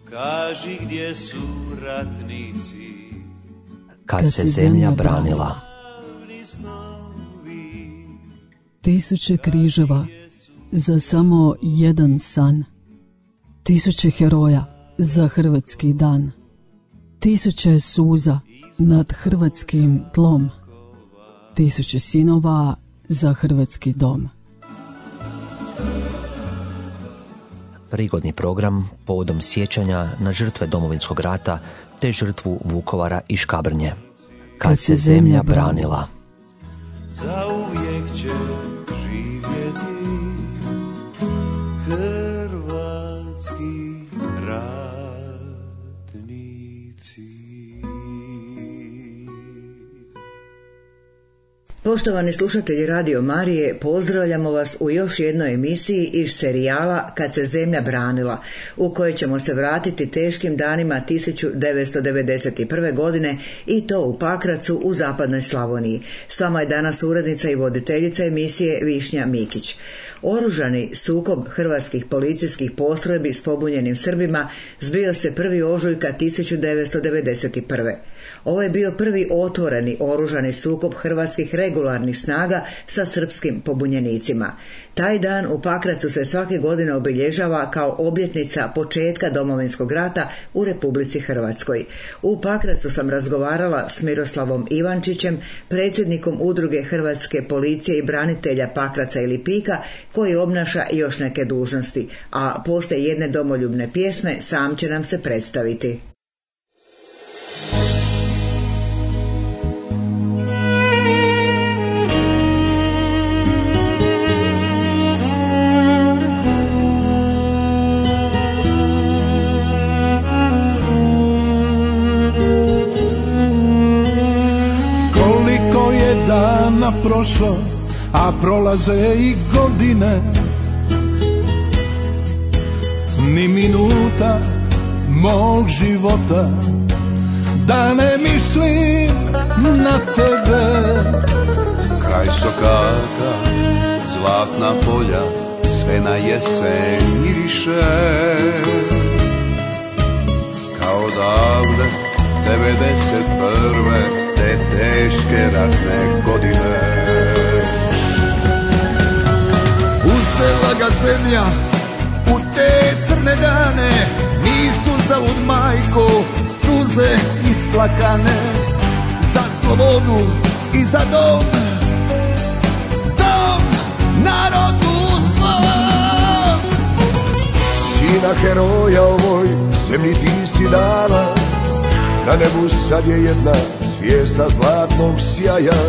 Kaži gdje su ratnici kad se zemlja branila. Tisuće križeva za samo jedan san. Tisuće heroja za hrvatski dan. Tisuće suza nad hrvatskim tlom. Tisuće sinova za hrvatski dom. Prigodni program povodom sjećanja na žrtve Domovinskog rata te žrtvu Vukovara i Škabrnje. Kad se zemlja branila. Zauvijek će živjeti hrvatski ratnici. Poštovani slušatelji Radio Marije, pozdravljamo vas u još jednoj emisiji iz serijala Kad se zemlja branila, u kojoj ćemo se vratiti teškim danima 1991. godine i to u Pakracu u zapadnoj Slavoniji. S vama je danas urednica i voditeljica emisije Višnja Mikić. Oružani sukob hrvatskih policijskih postrojbi s pobunjenim Srbima zbio se 1. ožujka 1991. Ovo je bio prvi otvoreni oružani sukob hrvatskih regularnih snaga sa srpskim pobunjenicima. Taj dan u Pakracu se svake godine obilježava kao obljetnica početka Domovinskog rata u Republici Hrvatskoj. U Pakracu sam razgovarala s Miroslavom Ivančićem, predsjednikom Udruge Hrvatske policije i branitelja Pakraca i Lipika, koji obnaša još neke dužnosti, a poslije jedne domoljubne pjesme sam će nam se predstaviti. Prošlo, a prolaze i godine, ni minuta mog života da ne mislim na tebe. Kraj Sokata, zlatna polja, sve na jesen miriše, kao davne 91. te teške ratne godine. Uzela ga zemlja u te crne dane, nisu zalud majko suze isplakane, za slobodu i za dom, dom narodu svom. Sina heroja ovoj zemlji ti si dala, na nebu sad je jedna zvijezda zlatnog sjaja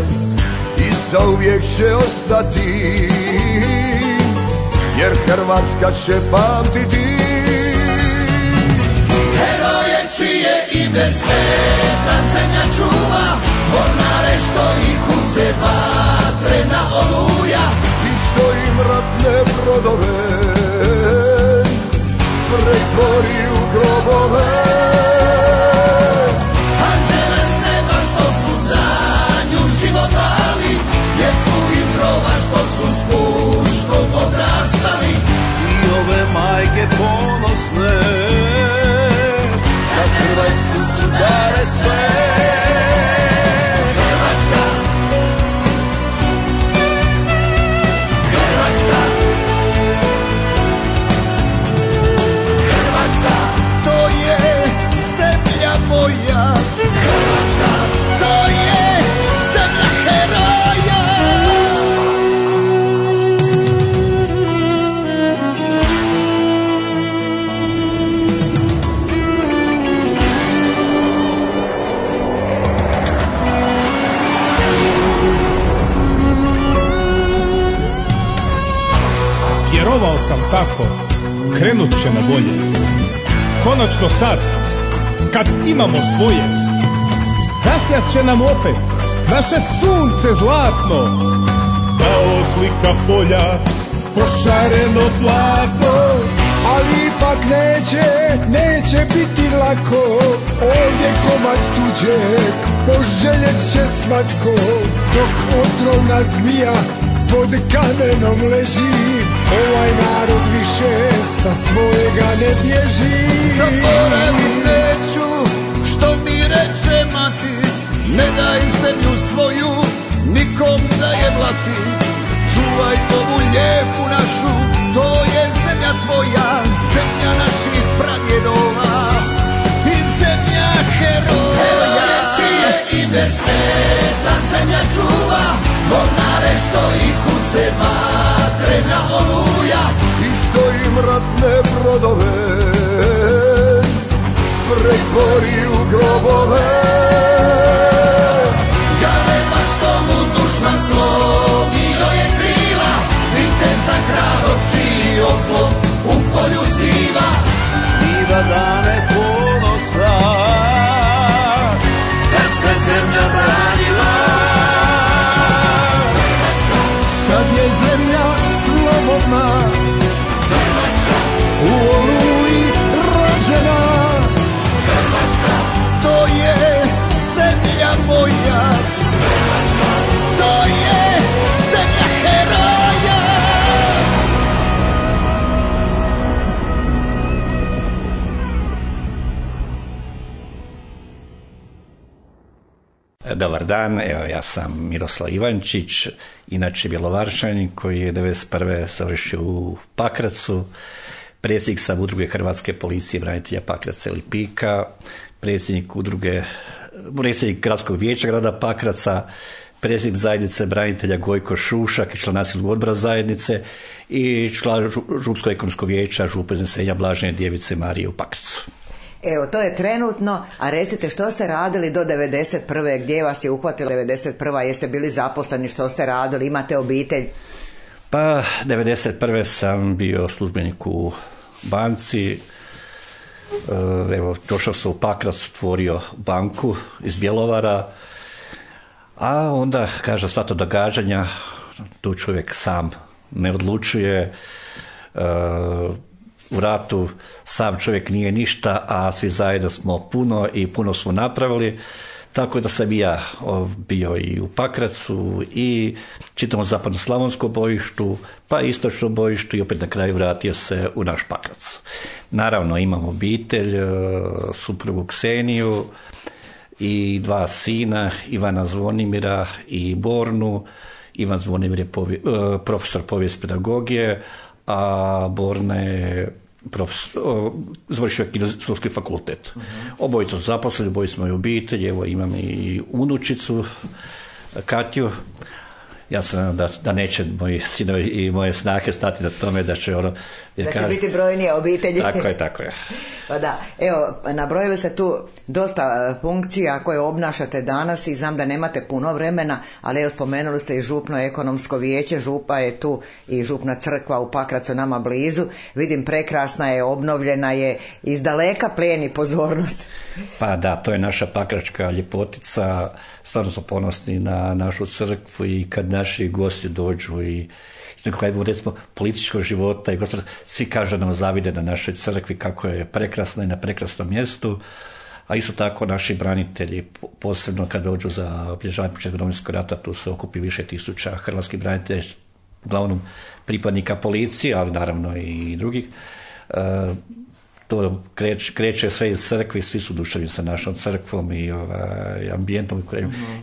i zauvijek će ostati, jer Hrvatska će pamtiti. Heroje čije ime sveta zemlja čuva, mornare što ih uze vatrena oluja I što im ratne brodove pretvori u grobove. Majke ponosne za Hrvatsku su dale sve. Hrvatska, Hrvatska, Hrvatska, to je zemlja moja. Hrvatska, to je zemlja heroja. Vjerovao sam tako, krenut će na bolje. Konačno sad, kad imamo svoje, zasjat će nam opet naše sunce zlatno. Kao slika polja, pošareno platno. Ali ipak neće biti lako, ovdje komad tuđeg poželjet će svatko, dok otrovna zmija pod kamenom leži, ovaj narod više sa svojega ne bježi. Zaboravit neću što mi reče mati, ne daj zemlju svoju nikom da je blati. Čuvaj ovu lijepu našu, to je zemlja tvoja, zemlja naših pradjedova i zemlja heroja. Heroja čije ime sveta zemlja čuva, mornare što i kuce vatrena oluja i što im ratne brodove pretvori u grobove. Galeba što mu dušman slomio je krila, viteza hrabog čiji oklop u polju sniva. Sniva dane ponosa, kad se zemlja branila. Sad je zemlja slobodna, u Oluji rođena. To je zemlja moja, to je zemlja heroja. Dobar dan, evo ja sam Miroslav Ivančić, inače Bjelovaršanin koji je 1991. završio u Pakracu, predsjednik sam udruge Hrvatske policije branitelja Pakraca i Lipika, predsjednik gradskog vijeća grada Pakraca, predsjednik zajednice branitelja Gojko Šušak i član nacionalnog odbora zajednice i član župskog ekonomskog vijeća župe iznesenja Blažene Djevice Marije u Pakracu. Evo, to je trenutno, a recite što ste radili do 91. Gdje vas je uhvatila 91. Jeste bili zaposleni, što ste radili, imate obitelj? Pa, 91. sam bio službenik u banci, evo, došao sam u Pakrac, otvorio banku iz Bjelovara, a onda, kaže, sva to događanja, tu čovjek sam ne odlučuje, u ratu sam čovjek nije ništa, a svi zajedno smo puno i puno smo napravili, tako da sam i ja bio i u Pakracu i čitavom zapadno-slavonskom bojištu, pa istočnom bojištu i opet na kraju vratio se u naš Pakrac. Naravno imam obitelj, suprugu Kseniju i 2 sina, Ivana Zvonimira i Bornu. Ivan Zvonimir je profesor povijest pedagogije, a Borna je završio Kineziološki fakultet. Obojica su zaposleni, obojica smo i obitelji, evo imam i unučicu Katju. Ja sam da neće moji sinovi i moje snage stati na tome da će će biti brojnije obitelji. Tako je. Pa da, evo, nabrojili ste tu dosta funkcija koje obnašate danas i znam da nemate puno vremena, ali evo spomenuli ste i župno ekonomsko vijeće, župa je tu i župna crkva u Pakracu nama blizu. Vidim, prekrasna je, obnovljena je, iz daleka plijeni pozornost. Pa da, to je naša pakračka ljepotica, stvarno smo ponosni na našu crkvu i kad naši gosti dođu i recimo političkog života i svi kažu da nam zavide na našoj crkvi kako je prekrasna i na prekrasnom mjestu, a isto tako naši branitelji, posebno kad dođu za obilježavanje početka Domovinskog rata, tu se okupi više tisuća hrvatskih branitelja, uglavnom pripadnika policije, ali naravno i drugih. To kreće sve iz crkvi, svi su duševni sa našom crkvom i ambijentom,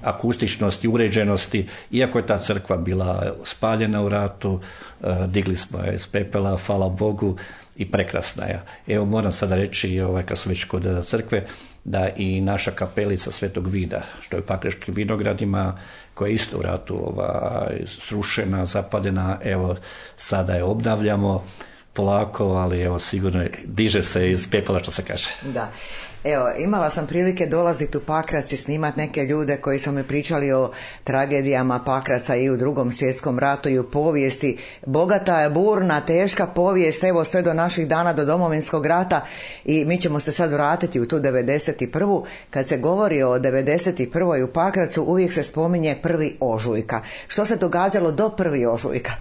akustičnosti, uređenosti. Iako je ta crkva bila spaljena u ratu, digli smo je iz pepela, hvala Bogu, i prekrasna je. Evo moram sada reći, kad sam već kod crkve, da i naša kapelica Svetog Vida, što je u Pakračkim Vinogradima, koja je isto u ratu srušena, zapadena, evo sada je obnavljamo polako, ali evo sigurno diže se iz pepela, što se kaže. Da. Evo, imala sam prilike dolaziti u Pakrac i snimati neke ljude koji su mi pričali o tragedijama Pakraca i u Drugom svjetskom ratu i u povijesti. Bogata, burna, teška povijest, evo sve do naših dana, do Domovinskog rata, i mi ćemo se sad vratiti u tu 91. Kad se govori o 91. u Pakracu, uvijek se spominje 1. ožujka. Što se događalo do 1. ožujka?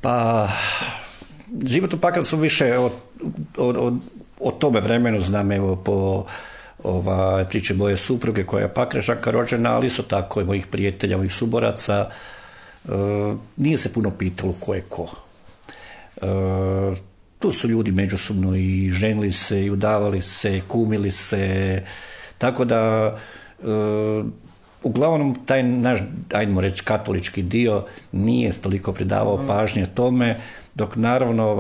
Pa, život u Pakracu više o tome vremenu znam, evo po priče moje supruge koja je Pakračanka rođena, ali isto tako i mojih prijatelja, mojih suboraca. nije se puno pitalo ko je ko. Tu su ljudi međusobno i ženili se, i udavali se, kumili se, tako da uglavnom taj naš, ajdemo reći, katolički dio nije toliko pridavao pažnje tome, dok naravno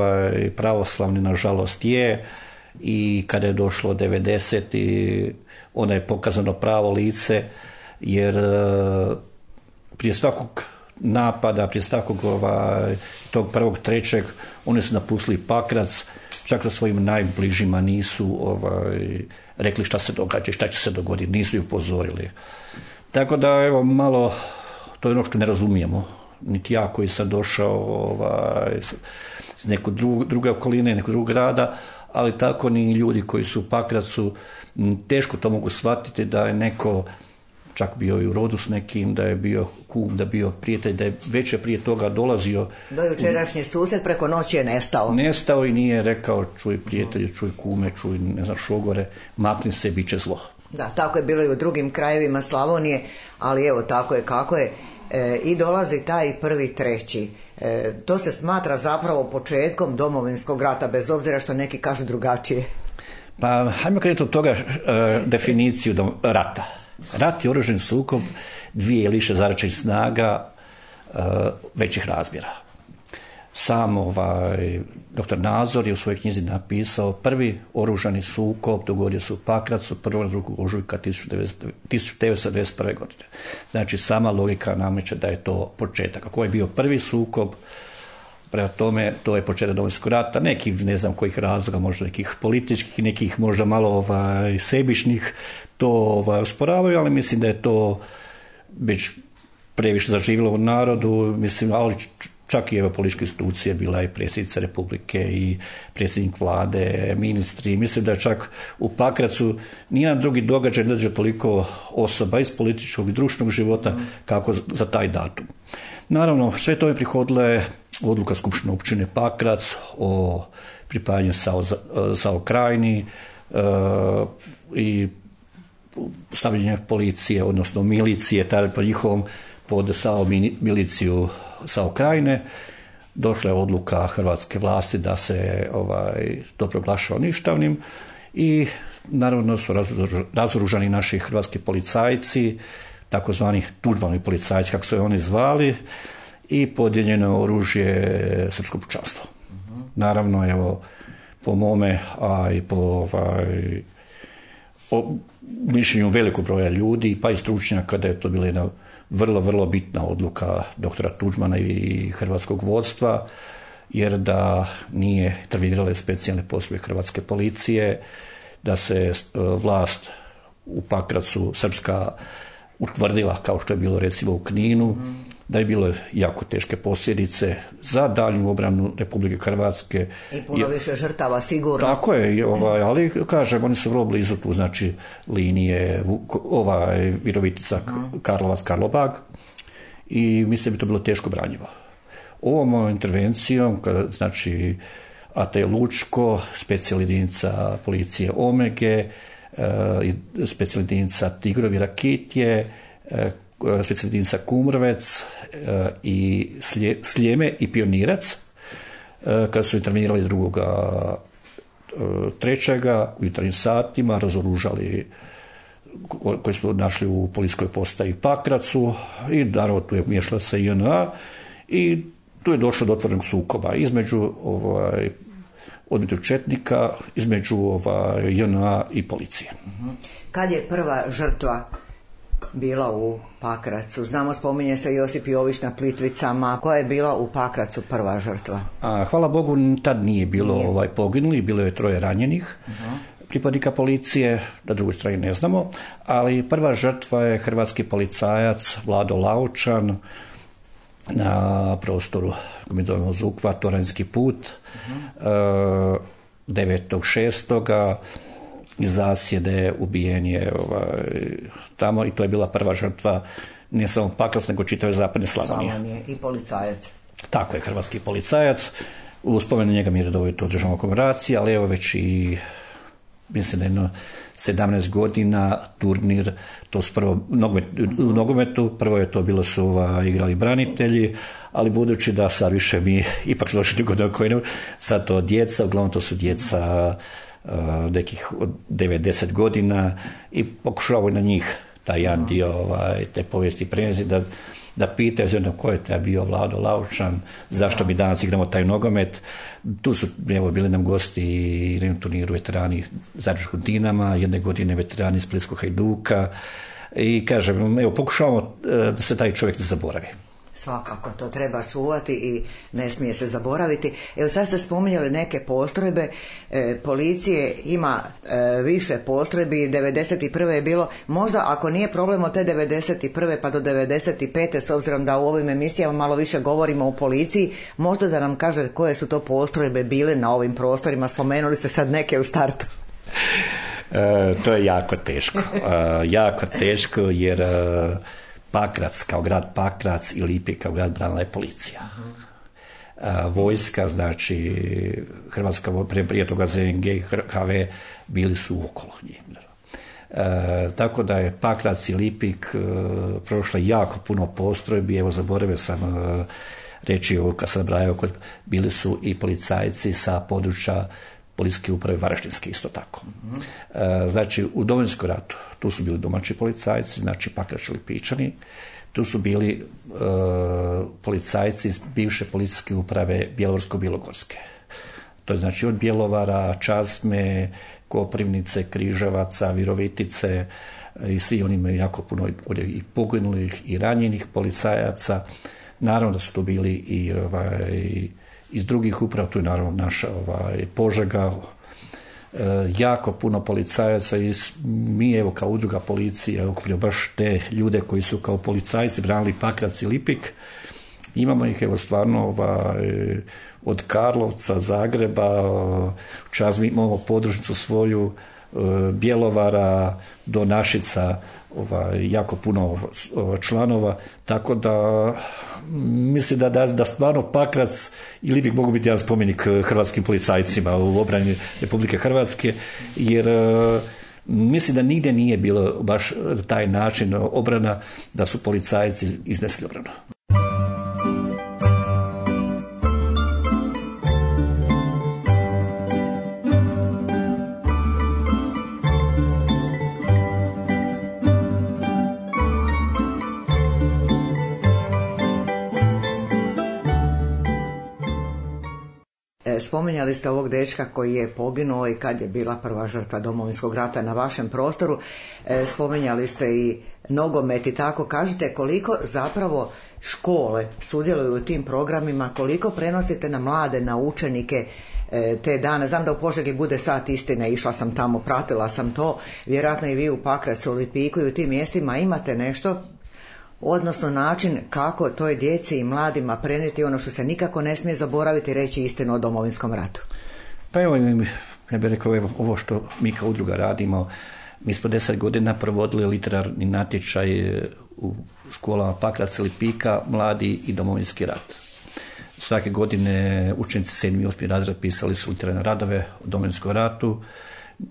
pravoslavni nažalost je, i kada je došlo 90. onda je pokazano pravo lice, jer prije svakog napada, prije svakog tog 1.3. oni su napustili Pakrac, čak sa svojim najbližima nisu rekli šta se događa i šta će se dogoditi, nisu ih upozorili. Tako da, evo, malo, to je ono što ne razumijemo, niti ja koji sam došao iz neke druge okoline, nekog drugog grada, ali tako ni ljudi koji su u Pakracu, teško to mogu shvatiti da je neko čak bio i u rodu s nekim, da je bio kum, da je bio prijatelj, da je već prije toga dolazio. Do jučerašnji susjed preko noći je nestao. Nestao i nije rekao čuj prijatelju, čuj kume, čuj ne znam šogore, makni se, bit će zlo. Da, tako je bilo i u drugim krajevima Slavonije, ali evo tako je kako je. I dolazi taj 1.3. To se smatra zapravo početkom Domovinskog rata, bez obzira što neki kažu drugačije. Pa, hajmo krenuti od toga definiciju rata. Rat je oružani sukob dvije ili više zaračenih snaga većih razmjera. Sam dr. Nazor je u svojoj knjizi napisao prvi oružani sukob dogodio se u Pakracu 1. 2. ožujka 1991. godine. Znači, sama logika nameće da je to početak. Ako je bio prvi sukob, prema tome, to je početak Domovinskog rata, nekih, ne znam kojih razloga, možda nekih političkih, nekih možda malo sebičnih, to osporavaju, ali mislim da je to već previše zaživjelo u narodu, mislim, ali čak i političke institucije, bila i predsjednica Republike i predsjednik vlade, ministri, mislim da je čak u Pakracu nijedan drugi događaj ne dođe toliko osoba iz političkog i društvenog života kako za taj datum. Naravno, sve to je prihodilo odluka Skupštine općine Pakrac o pripajanju SAO Krajini i stavljanje policije, odnosno milicije, tada po njihovom pod SAO miliciju SAO Krajine. Došla je odluka hrvatske vlasti da se to proglašava ništavnim i naravno su razoružani naši hrvatski policajci, takozvani Tuđmanovi policajci, kako su oni zvali, i podijeljeno oružje srpsko pučanstvo. Naravno, evo, po mome, a i po mišljenju velikog broja ljudi, pa i stručnjaka, da je to bila jedna vrlo, vrlo bitna odluka doktora Tuđmana i hrvatskog vodstva, jer da nije intervenirale specijalne postrojbe hrvatske policije, da se vlast u Pakracu srpska utvrdila, kao što je bilo recimo u Kninu, da je bilo jako teške posljedice za daljnju obranu Republike Hrvatske. I puno više žrtava, sigurno. Tako je, ali kažem, oni su vrlo blizu tu, znači linije Virovitica, Karlovac, Karlobag, i mislim da bi to bilo teško branjivo. Ovom intervencijom, znači AT Lučko, specijalna jedinica policije Omege, specijalna jedinica Tigrovi Rakitje, specijalna jedinica Kumrovec i Sljeme i Pionirac, kada su intervenirali 2.3. u jutarnjim satima, razoružali koji smo našli u policijskoj postaji Pakracu, i naravno tu je miješala se JNA i tu je došlo do otvorenog sukoba između odbitog četnika, između JNA i policije. Kad je prva žrtva bila u Pakracu? Znamo, spominje se Josip Jović na Plitvicama. Koja je bila u Pakracu prva žrtva? Hvala Bogu, tad nije bilo poginuli, bilo je 3 ranjenih pripadnika policije, na drugoj strani ne znamo, ali prva žrtva je hrvatski policajac Vlado Laučan na prostoru, kako mi zovemo Zukva, Toranjski put, 9.6. iz zasjede ubijen je tamo, i to je bila prva žrtva ne samo Pakrac, nego čitave zapadne Slavonije. I policajac. Tako je, hrvatski policajac. U spomenu njega mi je redovito održavamo komemoracije, ali evo već i mislim jedno 17 godina turnir, to su prvo u nogometu, prvo je to bilo su igrali branitelji, ali budući da sad više mi ipak složili godina koji ne, sad to djeca, uglavnom to su djeca nekih od 90 godina i pokušavaju na njih taj jedan dio te povijesti prenijeti da pitaju ko je taj bio Vlado Laučan, zašto mi danas igramo taj nogomet. Tu su bili nam gosti i na turniru veterani Zagrebačkog Dinama, jedne godine veterani Splitskog Hajduka i kažem, pokušavamo da se taj čovjek ne zaboravi. Svakako, to treba čuvati i ne smije se zaboraviti. Evo sad ste spominjali neke postrojbe, policije ima više postrojbi, 91. je bilo, možda ako nije problem od te 91. pa do 95. s obzirom da u ovim emisijama malo više govorimo o policiji, možda da nam kaže koje su to postrojbe bile na ovim prostorima, spomenuli ste sad neke u startu. To je jako teško jer Pakrac kao grad Pakrac i Lipik kao grad branila je policija. Vojska, znači Hrvatska prije toga ZNG i HV bili su okolo njih. Tako da je Pakrac i Lipik prošlo jako puno postrojbi, evo zaboravio sam reći ovo kad sam nabrajao, bili su i policajci sa područja policijske uprave Varaždinske isto tako. Znači u Domovinskom ratu tu su bili domaći policajci, znači Pakračani i Lipičani, tu su bili policajci iz bivše policijske uprave Bjelovarsko-bilogorske. To je znači od Bjelovara, Čazme, Koprivnice, Križevaca, Virovitice i svi oni imaju jako puno i poginulih i ranjenih policajaca. Naravno da su tu bili i iz drugih uprava, tu je naravno naša Požega, jako puno policajaca i mi evo kao udruga policije okupljamo baš te ljude koji su kao policajci branili Pakrac i Lipik. Imamo ih evo stvarno od Karlovca, Zagreba, u Čazmi imamo podružnicu svoju, Bjelovara do Našica, jako puno članova, tako da mislim da stvarno Pakrac i Lipik mogu biti jedan spomenik hrvatskim policajcima u obrani Republike Hrvatske, jer mislim da nigdje nije bilo baš taj način obrana da su policajci iznesli obranu. Spominjali ste ovog dečka koji je poginuo i kad je bila prva žrtva Domovinskog rata na vašem prostoru. Spominjali ste i nogomet i tako. Kažite koliko zapravo škole sudjeluju u tim programima, koliko prenosite na mlade, na učenike te dane. Znam da u Požegi bude sat istine, išla sam tamo, pratila sam to. Vjerojatno i vi u Pakracu, u Lipiku i u tim mjestima imate nešto, odnosno način kako toj djeci i mladima prenijeti ono što se nikako ne smije zaboraviti, reći istinu o Domovinskom ratu. Pa evo, ja bih rekao, ovo što mi kao udruga radimo, mi smo 10 godina provodili literarni natječaj u školama Pakraca i Lipika, Mladi i Domovinski rat. Svake godine učenici 7. i 8. razred pisali su literarne radove o Domovinskom ratu,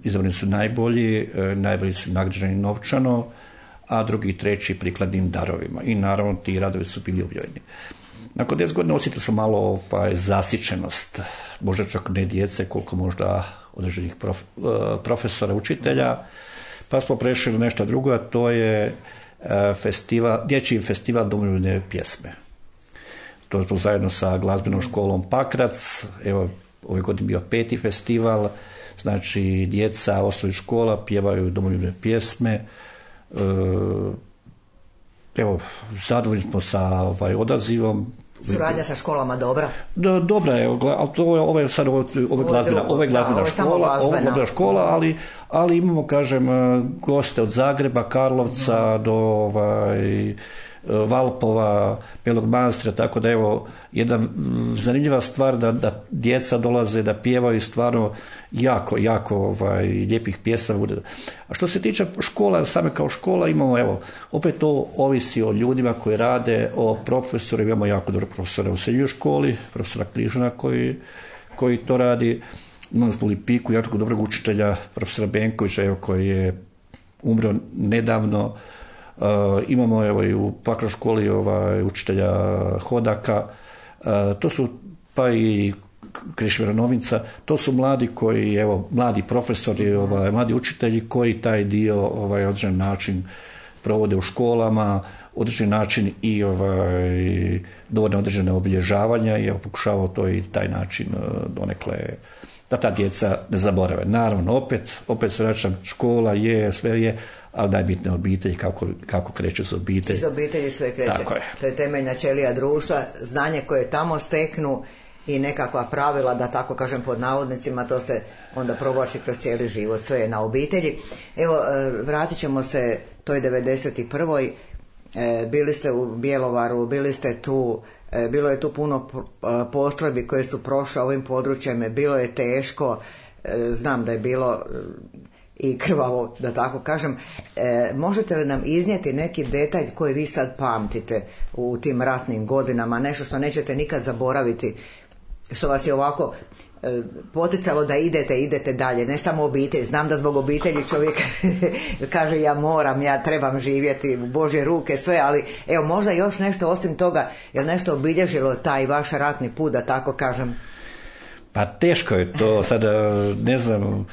izabrani su najbolji su nagrađeni novčano, a drugi i treći prikladnim darovima. I naravno ti radovi su bili objavljeni. Nakon 10 godina osjetili smo malo zasićenost, možda čak ne djece, koliko možda određenih profesora, učitelja, pa smo prešli na nešto drugo, a to je dječji festival domoljubne pjesme. To smo zajedno sa glazbenom školom Pakrac, evo ove godine bio 5. festival, znači djeca osnovnih škola pjevaju domoljubne pjesme. Evo, zadovoljni smo sa odazivom. Suradnja sa školama dobra? Dobra je, ali ovo je sad glazbena škola, ali imamo, kažem, goste od Zagreba, Karlovca do Valpova, Belog Manastira, tako da evo jedna zanimljiva stvar da djeca dolaze da pjevaju stvarno jako lijepih pjesama. A što se tiče škola, same kao škola imamo, evo, opet to ovisi o ljudima koji rade, o profesoru, imamo jako dobro profesora u srednjoj školi, profesora Križana koji to radi. imali smo u Lipiku jako dobrog učitelja, profesora Benkovića, evo, koji je umro nedavno. Imamo evo i u Pakračkoj školi učitelja Hodaka. To su pa i Krešimira Novinca, to su mladi koji, evo, mladi profesori, mladi učitelji koji taj dio određen način provode u školama, određen način i dovoljno određene obilježavanja i pokušavao to i taj način donekle da ta djeca ne zaborave. Naravno, opet se vraćam, škola je, sve je, ali najbitnije obitelji, kako kreće za obitelj. Iz obitelji sve kreće. Tako je. To je temeljna ćelija društva, znanje koje tamo steknu i nekakva pravila, da tako kažem pod navodnicima, to se onda provlači kroz cijeli život, sve je na obitelji. Evo, vratit ćemo se toj 91. Bili ste u Bjelovaru, bili ste tu, bilo je tu puno postrojbi koje su prošle ovim područjem, bilo je teško, znam da je bilo i krvavo, da tako kažem. Možete li nam iznijeti neki detalj koji vi sad pamtite u tim ratnim godinama, nešto što nećete nikad zaboraviti, što vas je ovako poticalo da idete dalje, ne samo obitelj. Znam da zbog obitelji čovjek kaže ja trebam živjeti u Božje ruke, sve, ali evo možda još nešto osim toga, je li nešto obilježilo taj vaš ratni put, da tako kažem? Pa teško je to, sada ne znam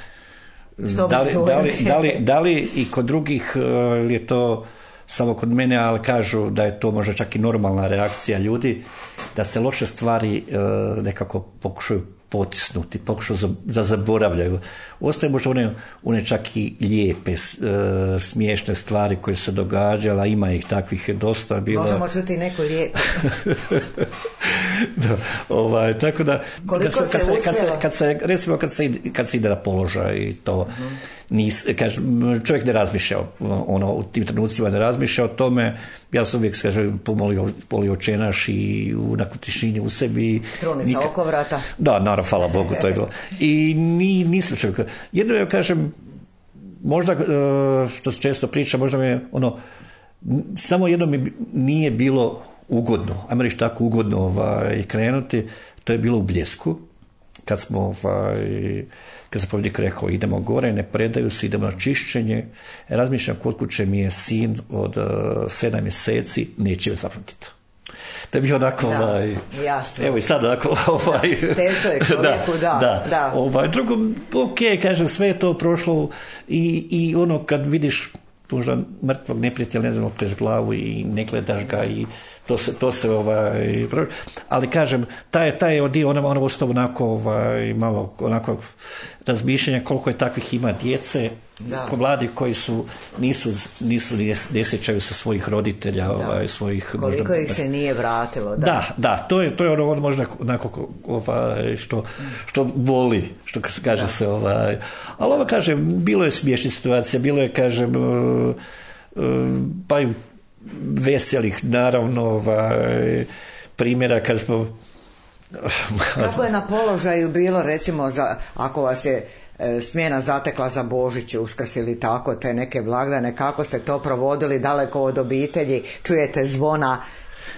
da li i kod drugih je to samo kod mene, ali kažu da je to možda čak i normalna reakcija ljudi, da se loše stvari nekako pokušaju potisnuti, pokušaju da zaboravljaju. Ostaje možda one čak i lijepe, smiješne stvari koje se događala, ima ih takvih dosta bilo. Možemo čuti neko lijepo. Da, tako da kad se ide na položaj i to čovjek ne razmišlja u tim trenucima, ne razmišlja o tome. Ja sam uvijek polio čenaš i u tišini u sebi. Krunica oko vrata. Da, naravno, hvala Bogu, to je bilo. I nisam čovjek. Jedno ja kažem, možda, što se često priča, možda mi je samo jedno mi nije bilo ugodno, ajmo reći tako ugodno krenuti, to je bilo u Bljesku, kad sam povjednik rekao idemo gore, ne predaju se, idemo na čišćenje. Razmišljam, kod kuće mi je sin od 7 mjeseci, neće me zapamtiti. To je bio onako, jasno. Evo i sad onako, teško je čovjeku, da. Drugo, kažem, sve je to prošlo i kad vidiš možda mrtvog neprijatelja, ne znam, okreš glavu i ne gledaš ga i to se ali kažem, taj je dio, ona ostao onako malo onako razmišljanja koliko je takvih ima djece, mladi koji ne sjećaju se svojih roditelja, svojih koliko možda, ih se nije vratilo. Da, to je ono možda onako što boli, što kaže se ali kažem, bilo je smiješnih situacija, bilo je, kažem, pa i veselih, naravno, primjera kad smo... Kako je na položaju bilo, recimo, ako vas je smjena zatekla za Božić, Uskrs ili tako, te neke blagdane, kako ste to provodili daleko od obitelji, čujete zvona,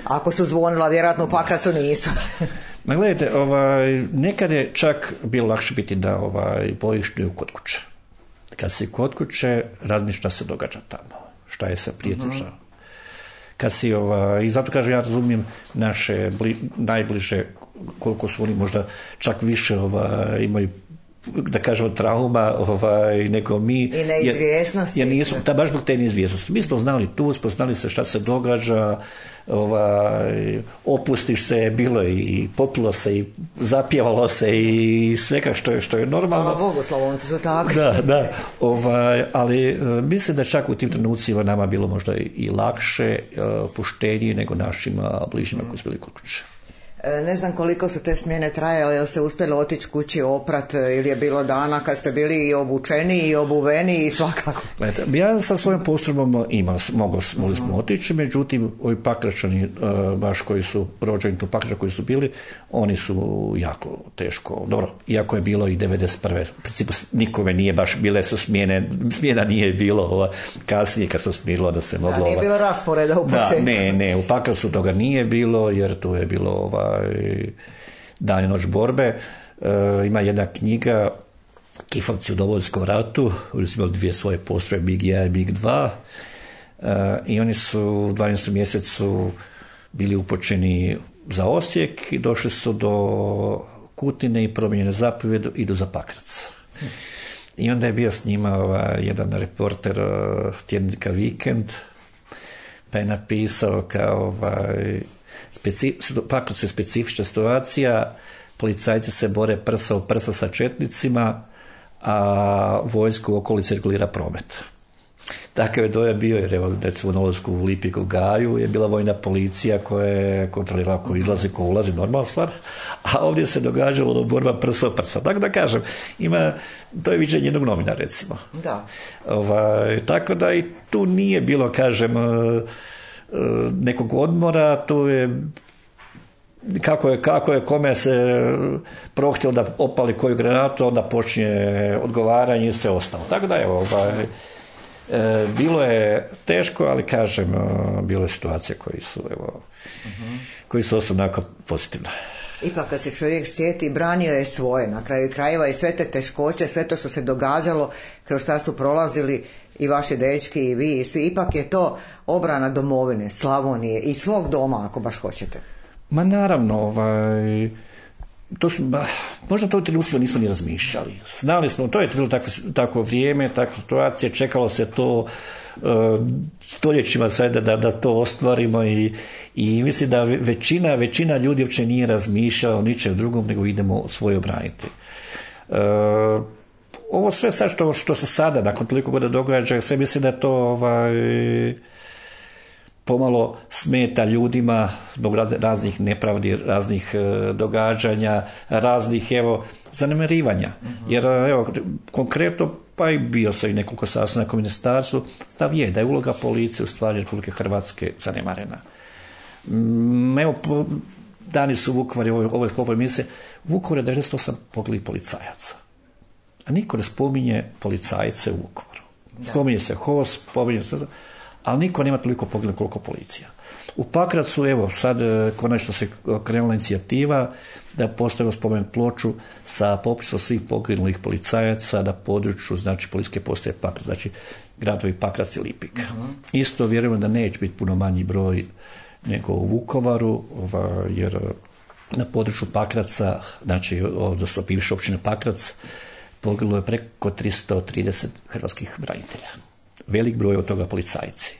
ako su zvonila, vjerojatno u Pakracu nisu. Ma gledajte, nekad je čak bilo lakše biti na bojištu kod kuće. Kad si kod kuće, razmišljaš šta se događa tamo, šta je sa prijateljima. Kad si, i zato kažem, ja razumijem naše najbliže, koliko su oni možda čak više imaju, da kažemo, trauma nego mi. I neizvjesnosti. Jer nisu, baš zbog te neizvjesnosti. Mi smo znali tu, spoznali se šta se događa, opustiš se, bilo je i popilo se i zapjevalo se i svega što je normalno. Hvala Bogu, Slavonci su tako. Da, ali mislim da čak u tim trenucima nama bilo možda i lakše, opuštenije nego našim bližnjima koji su bili kod kuće. Ne znam koliko su te smjene trajale, jel se uspjelo otići kući oprat ili je bilo dana kad ste bili i obučeni i obuveni i svakako? Ja sa svojom postrojbom mogli smo otići, međutim ovi Pakračani baš koji su rođeni tu Pakračani koji su bili, oni su jako teško, dobro, iako je bilo i 91. u principu nikome nije baš, bile su smjena nije bilo kasnije kad se smirilo da se moglo... nije bilo rasporeda u početku. Ne, u Pakracu toga nije bilo jer tu je bilo dan i noć borbe. Ima jedna knjiga Kifovci u Domovinskom ratu, oni su imali dvije svoje postrojbe, MiG-1 i MiG-2, i oni su u 12. mjesecu bili upućeni za Osijek i došli su do Kutine i promijenjene zapovjed, idu za Pakrac. I onda je bio s njima jedan reporter tjednika Vikend, pa je napisao kao Pakrac je specifična situacija, policajci se bore prsa u prsa sa četnicima, a vojsku u okolici regulira promet. Takav je dojam bio, jer evo, recimo na ulazku u Lipiku Gaju je bila vojna policija koja je kontrolirala ko izlazi, ko ulazi, normalna stvar, a ovdje se događalo borba prsa u prsa. Tako da kažem, to je viđenje jednog novina, recimo. Da. Tako da i tu nije bilo, kažem, nekog odmora, tu je kako je kome se prohtjelo da opali koju granatu, onda počinje odgovaranje i sve ostalo. Tako da evo, bilo je teško, ali kažem, bilo je situacije koji su onako pozitivne. Ipak kad se čovjek sjeti, branio je svoje na kraju krajeva i sve te teškoće, sve to što se događalo, kroz šta su prolazili i vaši dečki i vi i svi, ipak je to obrana domovine, Slavonije i svog doma, ako baš hoćete. Ma naravno, možda to u trenutku nismo ni razmišljali. Znali smo, to je bilo takvo vrijeme, takva situacija, čekalo se to stoljećima sada da to ostvarimo i mislim da većina ljudi uopće nije razmišljala o ničem drugom, nego idemo svoje obraniti. Ovo sve sad što se sada, nakon toliko godina događa, sve mislim da je to pomalo smeta ljudima zbog raznih nepravdi, raznih događanja, raznih zanemarivanja. Jer konkretno, pa i bio sam i nekoliko sastanaka u ministarstvu, stav je da je uloga policije u stvari Republike Hrvatske zanemarena. Dani su u Vukovaru, ovo je sklopo emisije, u Vukovaru je 98 poginulih policajaca. A niko ne spominje policajce u Vukovaru. Spominje se HOS, spominje se... ali niko nema toliko poginulih koliko policija. U Pakracu, sad konačno se krenula inicijativa da postavimo spomen ploču sa popisom svih poginulih policajaca na području, znači, policijske postaje Pakrac, znači gradovi Pakrac i Lipik. Isto vjerujem da neće biti puno manji broj nego u Vukovaru, jer na području Pakraca, znači, odnosno bivše općine Pakrac, poginulo je preko 330 hrvatskih branitelja. Velik broj od toga policajci.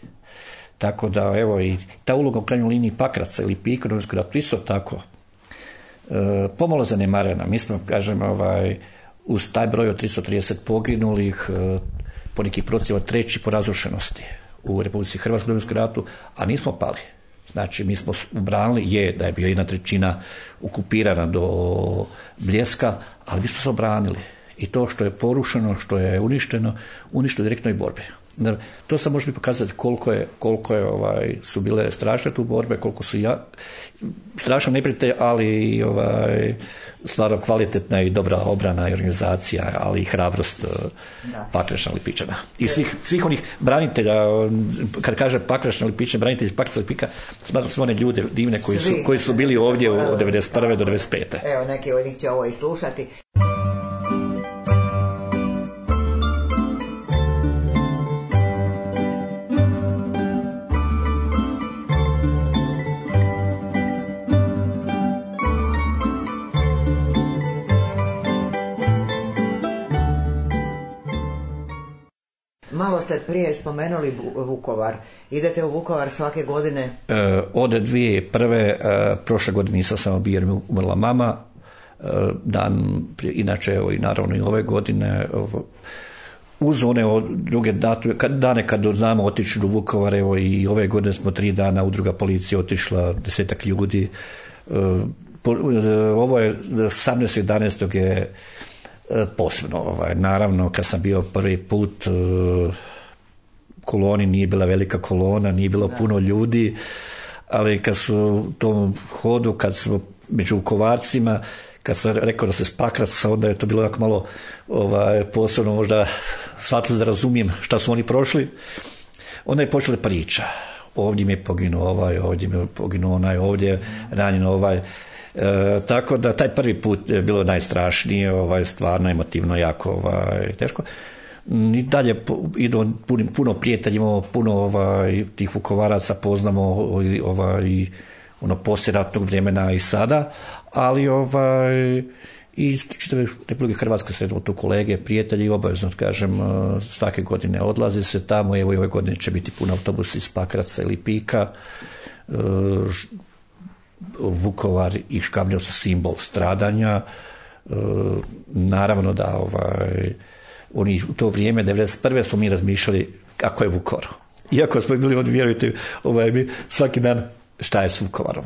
Tako da, i ta uloga u krajnjoj liniji Pakraca ili Lipika, Domovinskog rata, isto tako pomalo zanemarena. Mi smo, kažem, uz taj broj od 330 poginulih, po nekih procjenama treći po razrušenosti u Republici Hrvatskoj, Domovinskom ratu, a nismo pali. Znači, mi smo obranili, da je bio 1/3 okupirana do Bljeska, ali mi smo se obranili. I to što je porušeno, što je uništeno direktnoj borbi. To sam može pokazati koliko su bile strašne tu borbe, koliko su strašno neprijatelj, ali stvarno kvalitetna i dobra obrana i organizacija, ali i hrabrost Pakračna, Lipičana. I svih onih branitelja, kad kaže Pakračna, Lipičana, branitelji iz Pakraca, Lipika, smatram su one ljude divne koji su bili ovdje od 1991. do 1995. Evo, neki od njih će ovo i slušati. Malo ste prije spomenuli Vukovar. Idete u Vukovar svake godine? Od 2001. Prošle godine nisam samo bio jer mi umrla mama. Inače, i naravno i ove godine, uz one druge dane kad znamo otići do Vukovara, i ove godine smo 3 dana udruga policije otišla, 10-ak ljudi. Ovo je 18.11. je posebno. Naravno, kad sam bio prvi put koloni, nije bila velika kolona, nije bilo puno ljudi, ali kad su u tom hodu, kad smo među Vukovarcima, kad sam rekao da se s Pakraca, onda je to bilo jako malo posebno, možda shvatilo da razumijem šta su oni prošli. Onda je počela priča. Ovdje mi je poginuo ovdje mi je poginuo onaj, ovdje je ranjeno Tako da taj prvi put je bilo najstrašnije, stvarno emotivno jako teško. I dalje idu puno prijatelji, imamo puno tih Vukovaraca, poznamo i poslijeratnog vremena i sada, ali i čitave Republike Hrvatske sredimo tu kolege, prijatelji, obavezno kažem, svake godine odlazi se tamo, evo i ove godine će biti puno autobusa iz Pakraca ili Pika. Vukovar i Škabrnja su simbol stradanja. Naravno da oni u to vrijeme 91. smo mi razmišljali kako je Vukovar. Iako smo bili, vjerujte, mi svaki dan šta je s Vukovarom.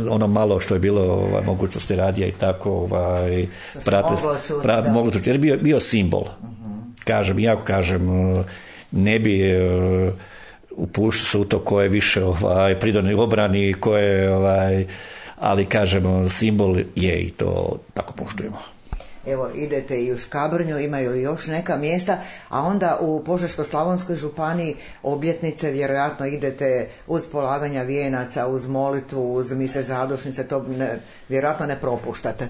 Ono malo što je bilo mogućnosti radija i tako moglo čuti, jer je bio simbol. Kažem, iako kažem, ne bi upušao se u to ko je više pridonio obrani, ko je ali kažemo, simbol je i to tako poštujemo. Evo, idete i u Škabrnju, imaju li još neka mjesta, a onda u Požeško-slavonskoj županiji obljetnice, vjerojatno idete uz polaganja vijenaca, uz molitvu, uz mise zadušnice, to vjerojatno ne propuštate.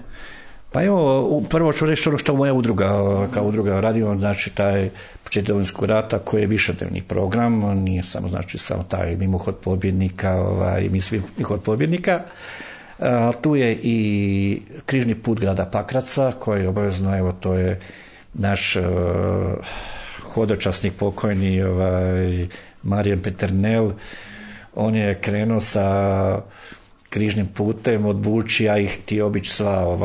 Pa evo, prvo ću reći ono što moja udruga, kao udruga radimo, znači taj početak Domovinskog rata koji je višednevni program, nije samo taj mimohod pobjednika i mimohod pobjednika. Tu je i križni put grada Pakraca koji je obavezno, evo to je naš hodočasnik pokojni Marijan Peternel, on je krenuo sa križnim putem od Bučija i htio obići sva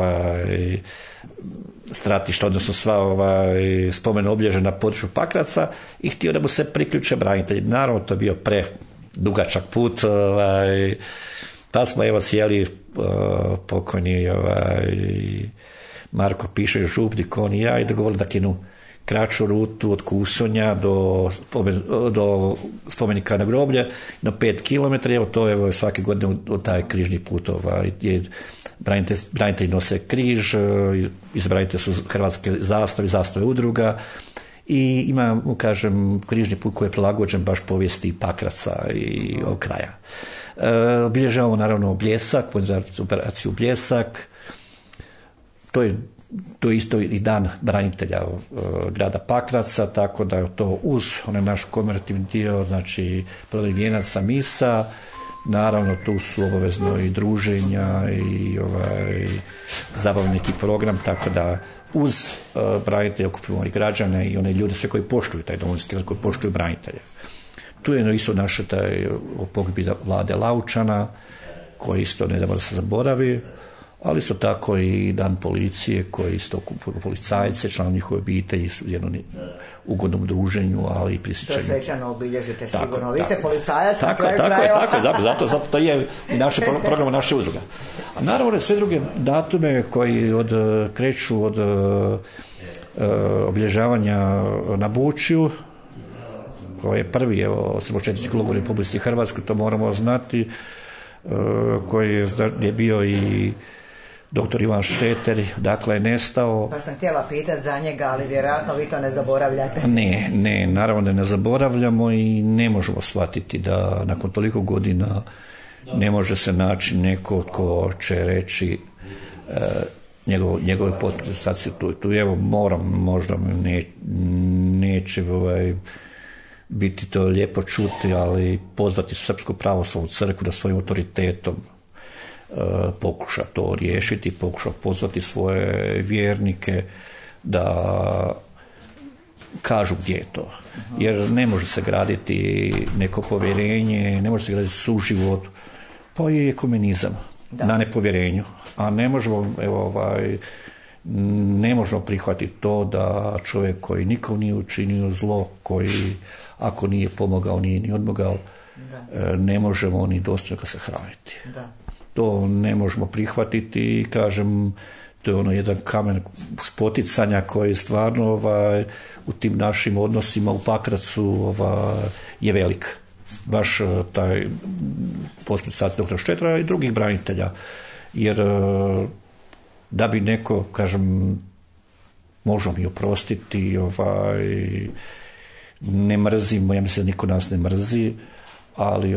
stratišta, odnosno sva spomen obilježja na području Pakraca i htio da mu se priključe branitelji. Naravno, to je bio predugačak put, pa smo evo sjeli pokojni Marko Pišo, Župnik, on i ja, i dogovorili da kinu kraću rutu od Kusonja do spomenika na groblje na 5 km. Evo to je svake godine od taj križni put branitelji nose križ, izbranitelji su hrvatske zastave udruga i imamo, kažem, križni put koji je prilagođen baš povijesti Pakraca i ovog kraja. Obilježavamo naravno Bljesak, operaciju Bljesak, to je isto i dan branitelja grada Pakraca, tako da je to uz onaj naš komemorativni dio, znači prodaj vijenaca, misa, naravno tu su obavezno i druženja i zabavni neki program, tako da uz branitelje okupimo i građane i one ljude sve koji poštuju taj Domovinski rat, koji poštuju branitelje. Tu je isto naše taj pogibija Vlade Laučana, koji isto ne da se zaboravi, ali isto tako i dan policije koji isto okupuju policajce, članovi njihove obitelji su u jednom ugodnom druženju, ali i prisjećanju. To svečano obilježite sigurno. Vi ste policajac na kraju krajeva. Zato to je i naše programa naše udruga. A naravno sve druge datume koji kreću od obilježavanja na Bučiju, koji je prvi, osloboditeljski logor u Republici Hrvatskoj, to moramo znati, koji je bio i doktor Ivan Šteter, dakle je nestao. Pa sam htjela pitati za njega, ali vjerojatno vi to ne zaboravljate. Ne, naravno da ne zaboravljamo i ne možemo shvatiti da nakon toliko godina ne može se naći neko ko će reći njegove potpise tu. Evo moram, možda neće biti to lijepo čuti, ali pozvati Srpsku pravoslavnu crkvu da svojim autoritetom pokuša to riješiti, pokuša pozvati svoje vjernike da kažu gdje je to. Jer ne može se graditi neko povjerenje, ne može se graditi suživot, pa je ekumenizam na nepovjerenju. A ne možemo, ne možemo prihvatiti to da čovjek koji nikom nije učinio zlo, koji ako nije pomogao, nije ni odmogao, ne možemo ni dostojno se hraniti. To ne možemo prihvatiti i kažem, to je ono jedan kamen spoticanja koji stvarno u tim našim odnosima u Pakracu je velik. Baš taj postupak doktora Štetra i drugih branitelja. Jer da bi neko, kažem, možemo mi oprostiti, ne mrzimo, ja mislim da niko nas ne mrzi, ali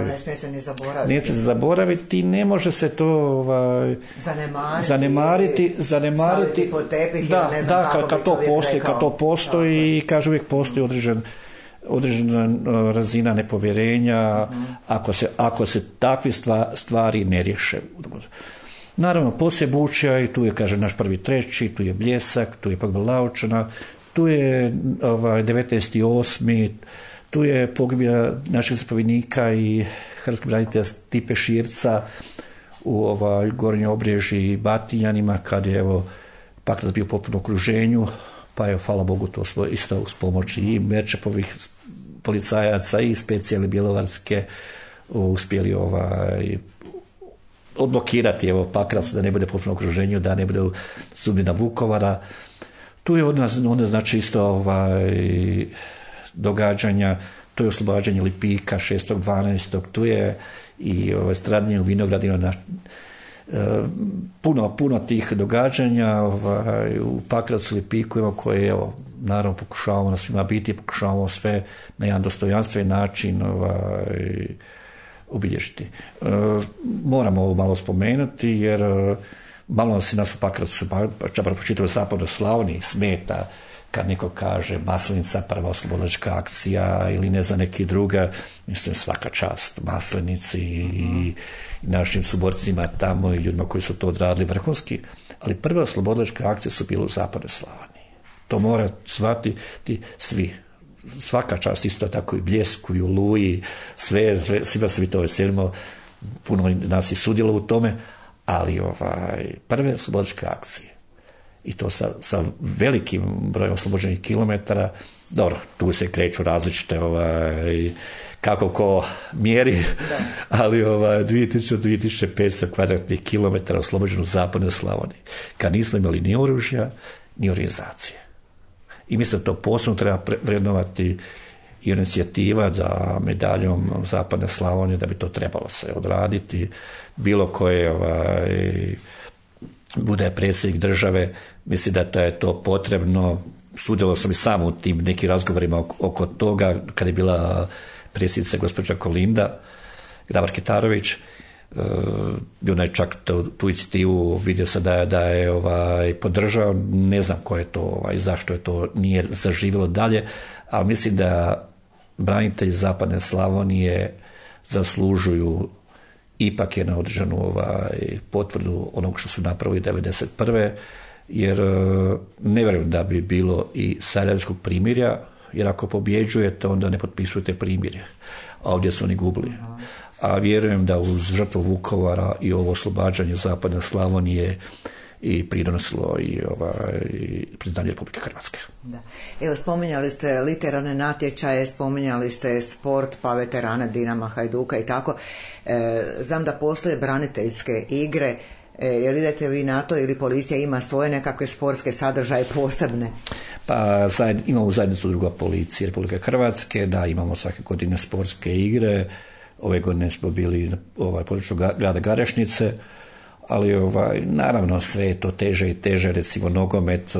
ne smije se ni zaboraviti. Ne smije se zaboraviti, ne može se to zanemariti, staviti pod tepih, ne znam kako kad to postoji i kaže uvijek postoji određena razina nepovjerenja ako se takve stvari ne riješe. Naravno, poslije Bučja, i tu je, kaže, naš prvi treći, tu je Bljesak, tu je Pogibija Laučana, tu je 19.8., tu je pogibija našeg zapovjednika i hrvatskog branitelja Stipe Širca u Gornjoj Obreži i Batinjanima, kad je Pakrac bio potpuno okruženju, pa je, hvala Bogu, to isto uz pomoć i Merčepovih policajaca i specijalne bjelovarske uspjeli odblokirati Pakrac da ne bude potpuno okruženju, da ne bude sudbina Vukovara. Tu je onda znači isto događanja, to je oslobađanje Lipika 6.12. Tu je i stradanje u vinogradima, puno tih događanja u Pakracu, Lipiku, koje naravno pokušavamo na svima biti, pokušavamo sve na jedan dostojanstven način obilježiti. Moramo ovo malo spomenuti, jer malo se nas u Pakracu, čak po čitavoj zapadnoj Slavoniji smeta kad neko kaže Maslenica, prva oslobodilačka akcija ili ne znam neki druga. Mislim, svaka čast Maslenici i našim suborcima tamo i ljudima koji su to odradili vrhunski, ali prve oslobodilačke akcije su bile u zapadnoj Slavoniji. To mora shvatiti svi. Svaka čast, isto tako i Bljesku i Oluji, svima se mi to veselimo, puno nas i sudjelo u tome, ali prve oslobodilačke akcije, i to sa velikim brojem oslobođenih kilometara. Dobro, tu se kreću različite kako ko mjeri, ali 2500 kvadratnih kilometara oslobođeno u zapadnoj Slavoniji, kad nismo imali ni oružja, ni organizacije. I mislim da to posebno treba vrednovati i inicijativa za medaljom zapadne Slavonije, da bi to trebalo se odraditi. Bilo koje bude predsjednik države, mislim da je to potrebno. Sudjelovao sam i sam u tim nekim razgovorima oko toga, kad je bila predsjednica gospođa Kolinda Grabar-Kitarović. Ona je čak tu inicijativu, vidio se da je podržao, ne znam ko je to i zašto je to nije zaživjelo dalje, ali mislim da branitelji zapadne Slavonije zaslužuju ipak je na određenu potvrdu onog što su napravili 1991. jer ne vjerujem da bi bilo i Sarajevskog primirja, jer ako pobjeđujete onda ne potpisujete primirje, a ovdje su oni gubili. A vjerujem da uz žrtvu Vukovara i ovo oslobađanje zapadne Slavonije i pridonosilo i priznanje Republike Hrvatske. Da. Evo, spominjali ste literarne natječaje, spominjali ste sport, pa veterane Dinama, Hajduka i tako. Znam da postoje braniteljske igre. Jel idete vi na to ili policija ima svoje nekakve sportske sadržaje posebne? Pa imamo u zajednicu druga policije Republike Hrvatske, da imamo svake godine sportske igre. Ove godine smo bili na području grada Garešnice, ali naravno sve je to teže i teže, recimo nogomet.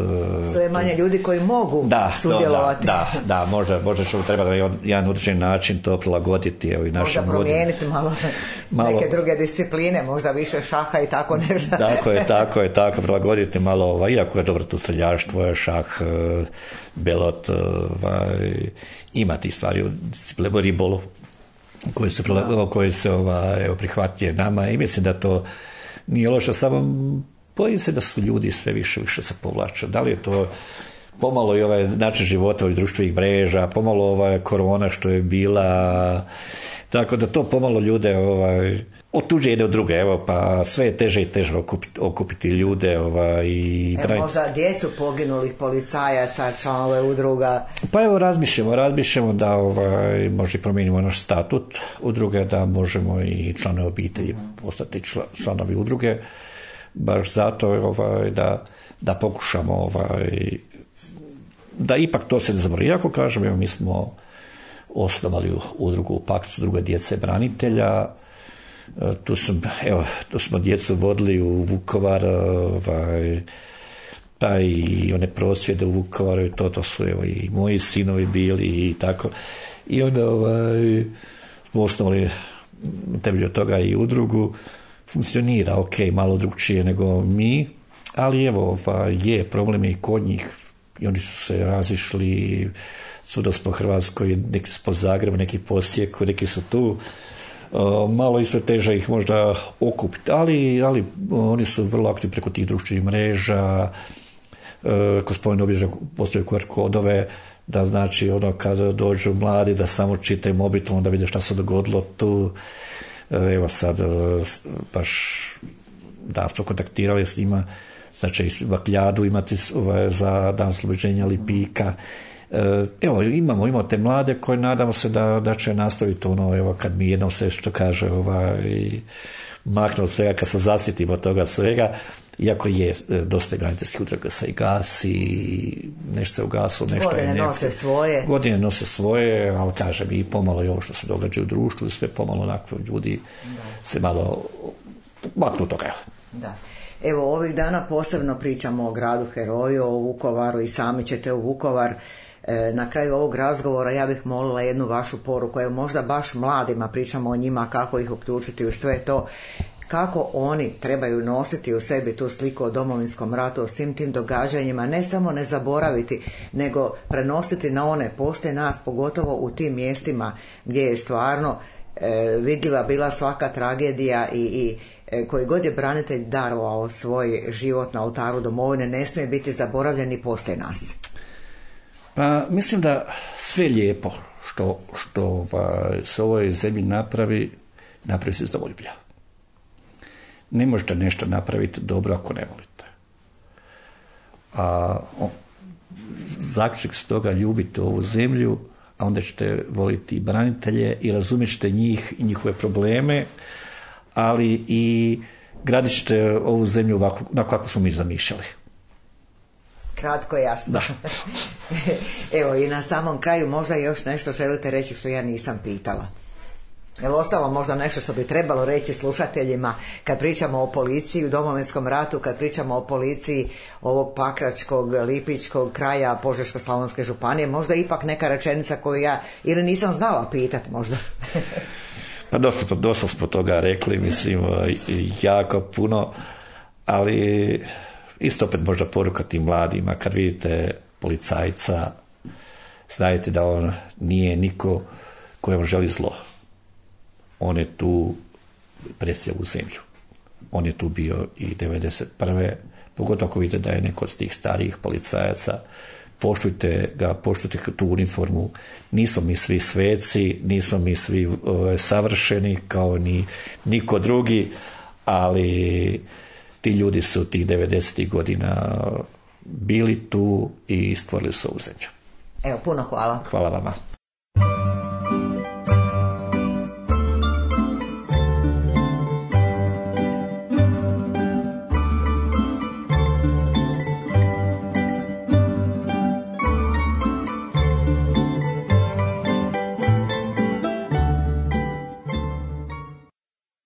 Sve manje ljudi koji mogu sudjelovati. Da, možda što treba na jedan određen način to prilagoditi. Možda promijeniti malo neke druge discipline, možda više šaha i tako nešto. Tako, prilagoditi malo, iako je dobro tu streljaštvo, šah, belot, ima tih stvari u disciplinu, ribolu, koje se prihvatije nama, i mislim da to nije loše, samo bojim se da su ljudi sve više se povlače. Da li je to pomalo i način života ovih društvenih mreža, pomalo korona što je bila, tako da to pomalo ljude otuđe jedne od druge, pa sve je teže i teže okupiti ljude i možda djecu poginulih policajaca, članove udruga. Pa evo razmišljamo da možda promijenimo naš statut udruge, da možemo i članovi obitelji postati članovi udruge, baš zato da pokušamo da ipak to se ne zaboravi. Iako kažem, evo, mi smo osnovali udrugu u Pakracu, druga djece branitelja. Tu smo djecu vodili u Vukovar, pa i one prosvjede u Vukovaru, i to su i moji sinovi bili i tako. I onda osnovali na temelju toga i udrugu, funkcionira ok, malo drugčije nego mi, ali evo, je problem i kod njih i oni su se razišli svuda po Hrvatskoj, neki su po Zagrebu, neki po Osijeku, neki su tu. Malo isto teže ih možda okupiti, ali oni su vrlo aktivni preko tih društvenih mreža. Gospodin obično postoje QR kodove, da znači kada dođu mladi da samo čitaju mobitelom da vide šta se dogodilo tu. Evo sad baš da smo kontaktirali s njima, znači bakljadu imati za dan oslobođenja Lipika. Evo, imamo te mlade koje nadamo se da će nastaviti evo, kad mi jednom se što kaže maknu od svega, kad se zasjetimo toga svega, iako je dosta braniteljskih udruga se i gasi, nešto se ugasilo, nešto godine nose svoje, ali kažem i pomalo i ovo što se događa u društvu, sve pomalo onako ljudi se malo maknu toga. Da. Evo, ovih dana posebno pričamo o gradu heroju, o Vukovaru i sami ćete u Vukovar. Na kraju ovog razgovora ja bih molila jednu vašu poruku, evo možda baš mladima, pričamo o njima, kako ih uključiti u sve to, kako oni trebaju nositi u sebi tu sliku o Domovinskom ratu, o svim tim događanjima, ne samo ne zaboraviti, nego prenositi na one poslije nas, pogotovo u tim mjestima gdje je stvarno vidljiva bila svaka tragedija i koji god je branitelj darovao svoj život na oltaru domovine, ne smije biti zaboravljeni poslije nas. Pa mislim da sve lijepo što se u ovoj zemlji napravi se iz domoljublja. Ne možete nešto napraviti dobro ako ne volite. A zaključak s toga, ljubite ovu zemlju, a onda ćete voliti i branitelje i razumjet ćete njih i njihove probleme, ali i gradit ćete ovu zemlju ovako, kako smo mi zamišljali. Kratko, jasno. Da. Evo, i na samom kraju možda još nešto želite reći što ja nisam pitala. Je li ostalo možda nešto što bi trebalo reći slušateljima kad pričamo o policiji u Domovinskom ratu, kad pričamo o policiji ovog pakračkog, lipičkog kraja Požeško-slavonske županije, možda ipak neka rečenica koju ja ili nisam znala pitat možda. Pa dosta smo toga rekli, mislim, jako puno, ali isto opet možda poruka tim mladima, kad vidite policajca, znajte da on nije niko kojem želi zlo. On je tu presio u zemlju. On je tu bio i 91. Pogotovo ako vidite da je neko od tih starijih policajaca, poštujte ga, poštujte tu uniformu. Nismo mi svi sveci, nismo mi svi savršeni kao ni niko drugi, ali ti ljudi su tih 90. godina bili tu i stvorili su ovu zemlju. Evo, puno hvala. Hvala vama.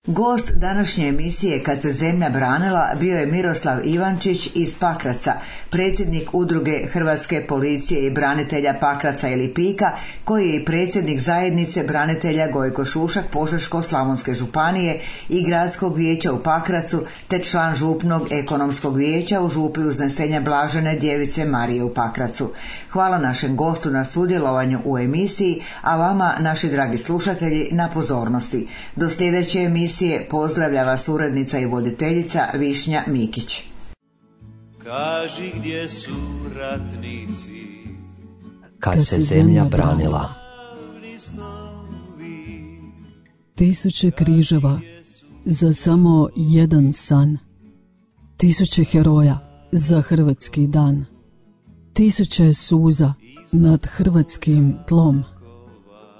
Gost današnje emisije Kad se zemlja branila bio je Miroslav Ivančić iz Pakraca, predsjednik udruge Hrvatske policije i branitelja Pakraca i Lipika, koji je i predsjednik zajednice branitelja Gojko Šušak Požeško-slavonske županije i gradskog vijeća u Pakracu, te član župnog ekonomskog vijeća u župi Uznesenja Blažene Djevice Marije u Pakracu. Hvala našem gostu na sudjelovanju u emisiji, a vama, naši dragi slušatelji, na pozornosti. Do sljedeće emisije pozdravlja vas urednica i voditeljica Višnja Mikić. Kaži gdje su ratnici kad se zemlja branila. Tisuće križeva za samo jedan san. Tisuće heroja za hrvatski dan. Tisuće suza nad hrvatskim tlom.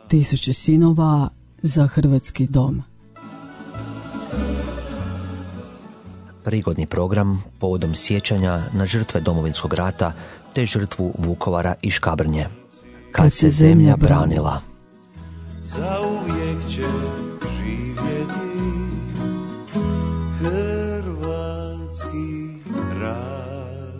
Tisuće sinova za hrvatski dom. Prigodni program povodom sjećanja na žrtve Domovinskog rata te žrtvu Vukovara i Škabrnje. Kad se zemlja branila. Zauvijek će živjeti hrvatski ratnici.